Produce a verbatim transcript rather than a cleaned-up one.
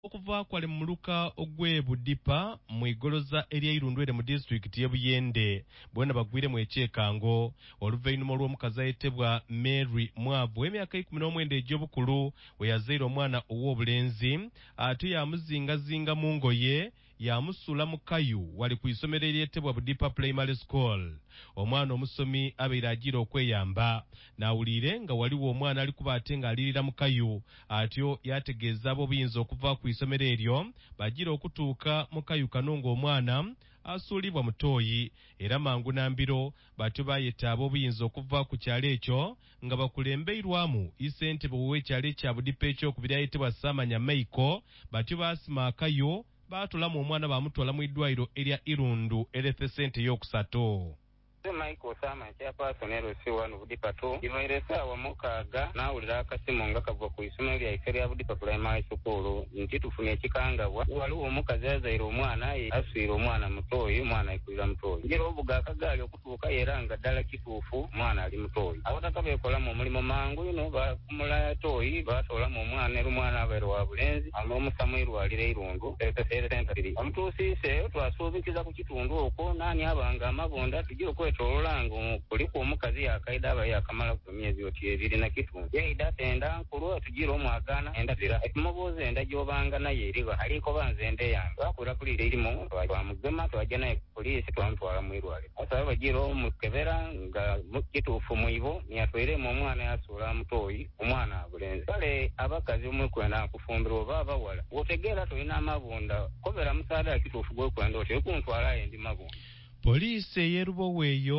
Okuva kwali mu muluka ogw'e Budipa mu igoloza erya Irundu ere mu disitulikiti y'e Buyende boona bagwiremu ekyekango oluvainhuma olw'omukazi ayetebwa Mary Mwavu ow'emyaka eikumi n'omwenda egy'obukulu we yazaire omwana ow'obulenzi ate yamuzingazinga mu ngoye yamusuula mu kayu wali ku isomero eryetebwa Budipa Primary School. Omwana omusomi abaire ajiire okweyamba n'awuliire nga waliwo omwana ali kuba ate ng'alirira mu kayu atyo yategeeza ab'obuyinza okuva ku isomero eryo bajiire okutuuka mu kayu kano ng'omwana asuulibwa mutoyi era mangu na mbiro batyo bayeta ab'obuyinza okuva ku kyalo ekyo nga bakulembeirwamu isentebe ow'ekyalo ekya Budipa ekyokubiri ayetebwa Saamanya Maiko batyo baasima akayu baatolamu omwana bamutwala mu idwaliro erya Irundu Health Center ey'okusatu. Michael Osama, chairperson L C one Budipa two. Ibaire esaawa mukaaga naawulira akasimu nga kava ku isomero lyaife lya Budipa Primary School nti tufunye ekikangabwa, waliwo omukazi azaire omwana aswire omwana mutoyi, omwana aikulira mutoyi. Njira obuga akagaali okutuukayo era nga ddala kituufu omwana ali mutoyi. Abataka beekolamu omulimu mangu ino, bakumula toyi, batoolamu omwana era omwana abaire wa bulenzi, amusa mu irwaliro Irundu Health Center. Omutuusiiseeyo twasuubikiza ku kitundu okwo naani abanga amabunda tujja okwetolola nga kuliku omukazi yakaida aba yakamala ku myezi oti ebiri na kitundu yaida ate enda nkulu tugira omwagana enda zira etumubuuza enda gyobanga naye eriba alikoba nze enda eyange twakubira puliisi erimu twamugema twajja naye ku poliisi twamutwala mu irwaliro asaba bagira omukebera nga kituufu mwibo niyatwairemu omwana yasuula mutoyi omwana abulenzi. Kale abakazi omwekwenda kufumbirwa oba abawala wotegeera tolina amabunda kobera musaada kituufu gwekwenda oti ekuntwalayo ndi mabunda. Poliisi ey'e Lubowa eyo.